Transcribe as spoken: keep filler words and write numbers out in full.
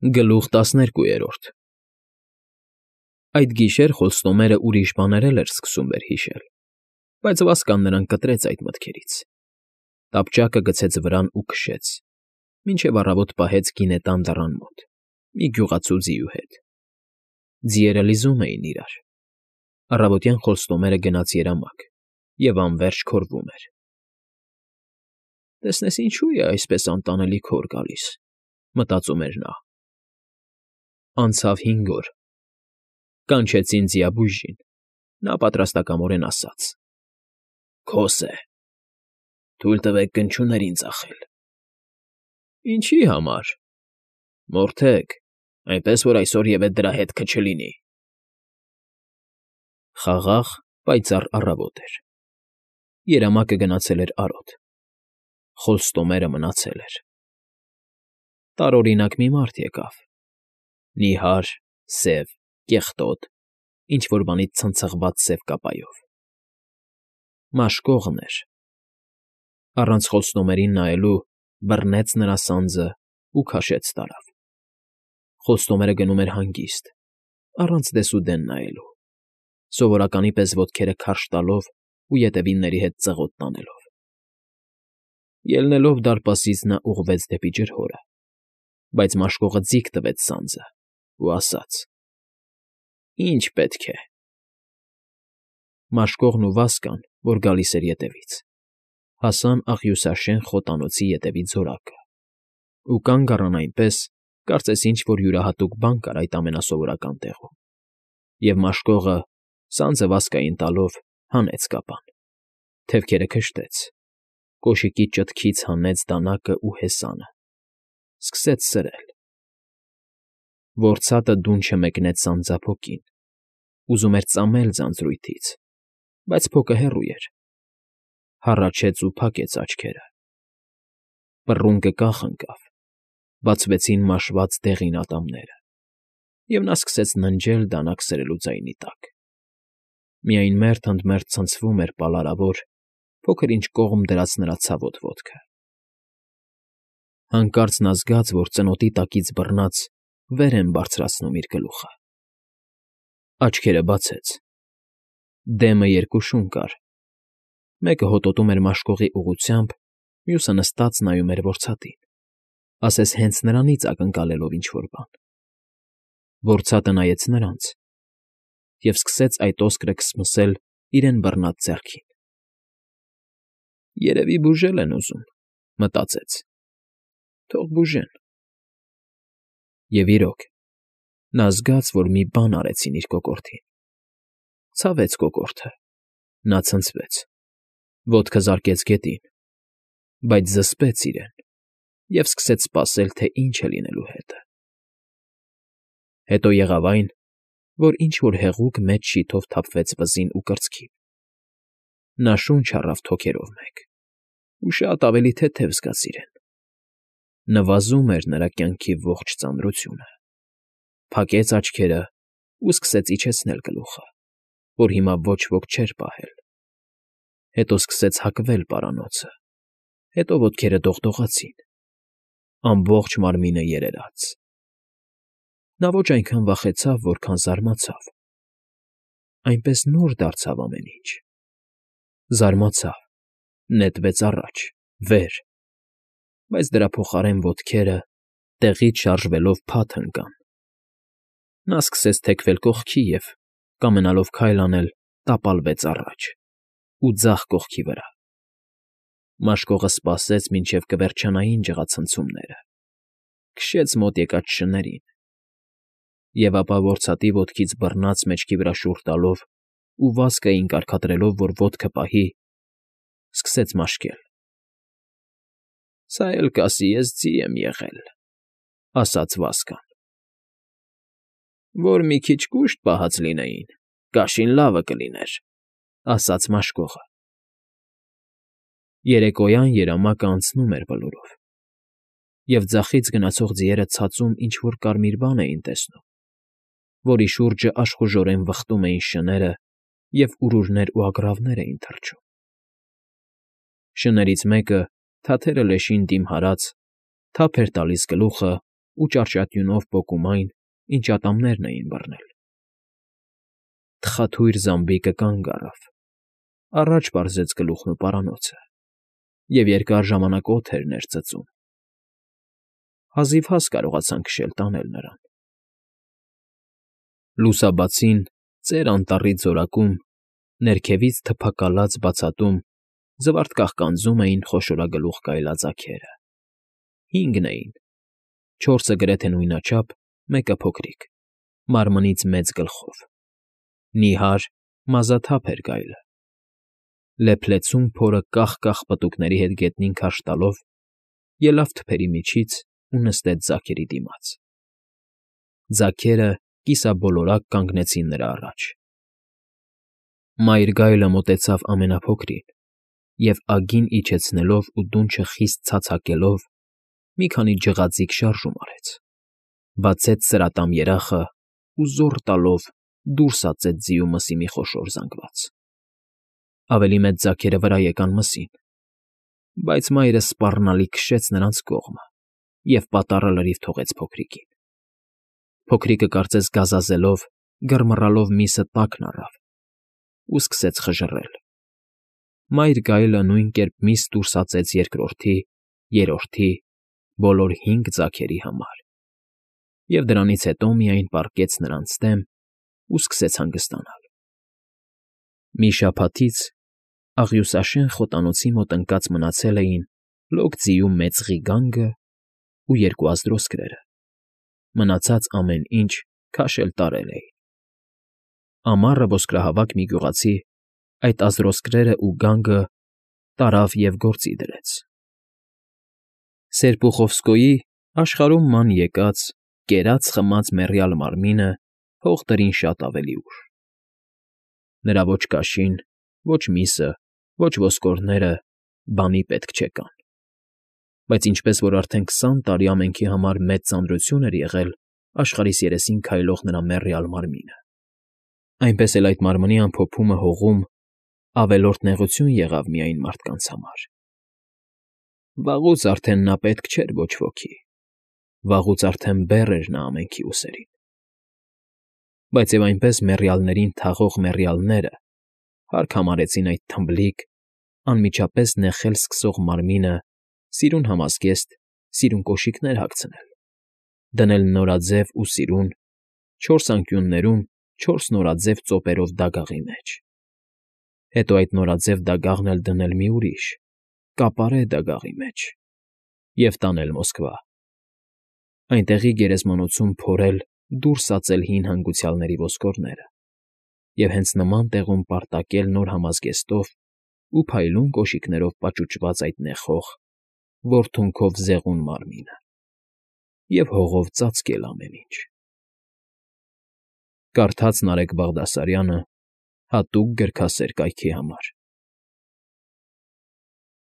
Գլուխ տասներկուերորդ Այդ գիշեր Խոստումերը ուրիշ բաներ էլ էր սկսում վերհիշել, բայց Վասկան նրան կտրեց այդ մտքերից, տապճակը գցեց վրան ու քշեց, մինչև առավոտ պահեց գինետան դռան մոտ, մի գյուղացու ձիու հետ. ձիերը լիզում էին իրար, առավոտյան Խոստումերը գնաց երամակ և անվերջ քորվում էր։ «Տեսնես ինչու է այսպես անտանելի քոր գալիս», մտածում էր նա։ Անցավ հինգ օր, կանչեցին ձիաբույժին, նա պատրաստակամորեն ասաց. «Քոս է, թույլ տվեք կնչուներին ծախել»։ «Ինչի համար»։ «Մորթեք, այնպես որ այսօր ևեթ դրա հետքը չլինի»։ Խաղաղ, պայծառ առավոտ էր, երամակը գնացել էր արոտ, Խոստումերը մնացել էր։ Տարօրինակ մի մարդ եկավ, նիհար, սև, կեղտոտ, ինչ֊որ բանից ցնցղված սև կապայով։ Մաշկողն էր, առանց Խոստումերին նայելու բռնեց նրա սանձն ու քաշեց տարավ։ Խոստումերը գնում էր հանգիստ, առանց դեսուդեն նայելու, սովորականի պես ոտքերը քարշ տալով ու ետևինների հետ ծղոտ տանելով։ Ելնելով դարպասից նա ուղղվեց դեպի ջրհորը, բայց մաշկողը ձիգ տվեց սանձն ու ասաց. «Ի՞նչ պետք է»։ Մաշկողն ու Վասկան, որ գալիս էր ետևից, հասան աղյուսաշեն խոտանոցի ետևի ձորակը ու կանգ առան այնպես, կարծես ինչ֊որ յուրահատուկ բան կար այդ ամենասովորական տեղում, և մաշկողը, սանձը Վասկային տալով, հանեց կապան, թևքերը քշտեց, կոշիկի ճտքից հանեց դանակն ու հեսանը, սկսեց սրել։ Որցատը դունչը մեկնեց սանձափոկին, ուզում էր ծամել ձանձրույթից, բայց փոկը հեռու էր, հառաչեց ու փակեց աչքերը։ Պռունգը կախ ընկավ, բացվեցին մաշված դեղին ատամները, և նա սկսեց ննջել դանակ սրելու ձայնի տակ։ Միայն մերթ֊ընդ մերթ ցնցվում էր պալարավոր, փոքր֊ինչ կողմ դրած նրա ցավոտ ոտքը։ Հանկարծ նա զգաց, որ ծնոտի տակից բռնած վեր են բարձրացնում իր գլուխը։ Աչքերը բացեց, դեմը երկուշուն կար, մեկը հոտոտում էր մաշկողի ուղղությամբ, մյուսը նստած նայում էր որցատին, ասես հենց նրանից ակնկալելով ինչ֊որ բան։ Որցատը նայեց նրանց և սկսեց այդ oscre քսմսել իրեն բռնած ձեռքին։ «Երևի բուժել են ուզում», մտածեց, «թող բուժեն»։ Եվ իրոք, նա զգաց, որ մի բան արեցին իր կոկորդին։ Ցավեց կոկորդը, նա ցնցվեց, ոտքը զարկեց գետին, բայց զսպեց իրեն և սկսեց սպասել, թե ինչ է լինելու հետը։ Հետո եղավ այն, որ ինչ֊որ հեղուկ մեծ շիթով թափվեց վզին ու կրծքին։ Նա շունչ առավ թոքերով մեկ ու շատ ավելի թեթև զգաց իրեն։ Նվազում էր նրա կյանքի ողջ ծանրությունը, փակեց աչքերը ու սկսեց իջեցնել գլուխը, որ հիմա ոչ ոք չէր պահել։ Հետո սկսեց հակվել պարանոցը, հետո ոտքերը դողդողացին, ամբողջ մարմինը երերաց։ Նա ոչ այնքան վախեցավ, որքան զարմացավ։ Այնպես նոր դարձավ ամեն ինչ։ Զարմացավ, նետվեց առաջ, վեր, բայց դրա փոխարեն ոտքերը, տեղից շարժվելով, փաթ ընկան։ Նա սկսեց թեքվել կողքի և, կամենալով քայլ անել, տապալվեց առաջ ու ձախ կողքի վրա։ Մաշկողը սպասեց, մինչև կվերջանային ջղացնցումները, քշեց մոտ եկած շներին, և ապա որցատի ոտքից բռնած մեջքի վրա շուռ տալով ու Վասկային կարգադրելով, որ ոտքը պահի, սկսեց մաշկել։ «Սա էլ կասի ես ձի եմ եղել», ֊ ասաց Վասկան։ «Որ մի քիչ կուշտ պահած լինեին, կաշին լավը կլիներ», ֊ ասաց մաշկողը։ Երեկոյան երամակը անցնում էր բլուրով, և ձախից գնացող ձիերը ցածում ինչ֊որ կարմիր բան էին տեսնում, որի շուրջը աշխուժորեն վխտում էին շները ևուրուրներ ու ագռավներ էին թռչում։ Շներից մեկը, թաթերը լեշին դիմահարած, թափ էր տալիս գլուխը ու ճարճատյունով պոկում այն, ինչ ատամներն էին բռնել։ Թխաթույր զամբիկը կանգ առավ, առաջ պարզեց գլուխն ու պարանոցը և երկար ժամանակ օդ էր ներծծում։ Հազիվ հաս կարողացան քշել տանել նրան։ Լուսաբացին ծեր անտառի ձորակում, ներքևից թփակալած բացատում զվարթ կաղկանձում էին խոշորագլուխ գայլաձագերը։ Հինգն էին, չորսը գրեթե նույնաչափ, մեկը փոքրիկ, մարմնից մեծ գլխով։ Նիհար, մազաթափ էր գայլը։ Լեփլեցուն փորը կախ֊կախ պտուկների հետ գետնին քարշ տալով, ելավ թփերի միջից ու նստեց ձագերի դիմաց։ Ձագերը կիսաբոլորակ կանգնեցին նրա առաջ։ Մայր գայլը մոտեցավ ամենափոքրին և, ագին իջեցնելով ու դունչը խիստ ցացակելով, մի քանի ջղաձիգ շարժում արեց, բացեց սրատամ երախն ու զոռ տալով դուրս ածեց ձիու մսի մի խոշոր զանգված։ Ավելի մեծ ձագերը վրա եկան մսին, բայց մայրը սպառնալի քշեց նրանց կողմը և պատառը լրիվ թողեց փոքրիկին։ Փոքրիկը կարծես գազազելով, գռմռալով միսը տակն առավ ու սկսեց խժռել։ Մայր գայլը նույն կերպ միս դուրս ածեց երկրորդի, երրորդի, բոլոր հինգ ձագերի համար և դրանից հետո միայն պառկեց նրանց դեմ ու սկսեց հանգստանալ։ Մի շաբաթից աղյուսաշեն խոտանոցի մոտ ընկած մնացել էին լոկ ձիու մեծ ղիգանգն ու երկու ազդրոսկրերը, մնացած ամեն ինչ քաշել տարել էին։ Ամառը ոսկրահավաք մի գյուղացի այդ ազդրոսկրերն ու գանգը տարավ և գործի դրեց։ Սերպուխովսկոյի աշխարհում ման եկած, կերած֊խմած մեռյալ մարմինը հող տրին շատ ավելի ուշ։ Նրա ոչ կաշին, ոչ միսը, ոչ ոսկորները բանի պետք չեկան։ Բայց ինչպես որ արդեն քսան տարի ամենքի համար մեծ ծանրություն էր եղել աշխարհիս երեսին քայլող նրա մեռյալ մարմինը, այնպես էլ այդ մարմնի ամփոփումը հողում ավելորդ նեղություն եղավ միայն մարդկանց համար։ Վաղուց արդեն նա պետք չէր ոչ ոքի, վաղուց արդեն բեռ էր նա ամենքի ուսերին։ Բայց և այնպես մեռյալներին թաղող մեռյալները հարկ համարեցին այդ թմբլիկ, անմիջապես նեխել սկսող մարմինը սիրուն համազգեստ, սիրուն կոշիկներ հագցնել, դնել նորաձև ու սիրուն, չորս անկյուններում չորս նորաձև ծոպերով դագաղի մեջ, հետո այդ նորաձև դագաղն էլ դնել մի ուրիշ, կապարե դագաղի մեջ և տանել Մոսկվա, այնտեղի գերեզմանոցում փորել դուրս ածել հին հանգուցյալների ոսկորները և հենց նման տեղում պարտակել նոր համազգեստով ու փայլուն կոշիկներով պաճուճված այդ նեխող, վորթունքով զեղուն մարմինը և հողով ծածկել ամեն ինչ։ Կարդաց Նարեկ Բաղդասարյանը հատուկ գրքասեր կայքի համար։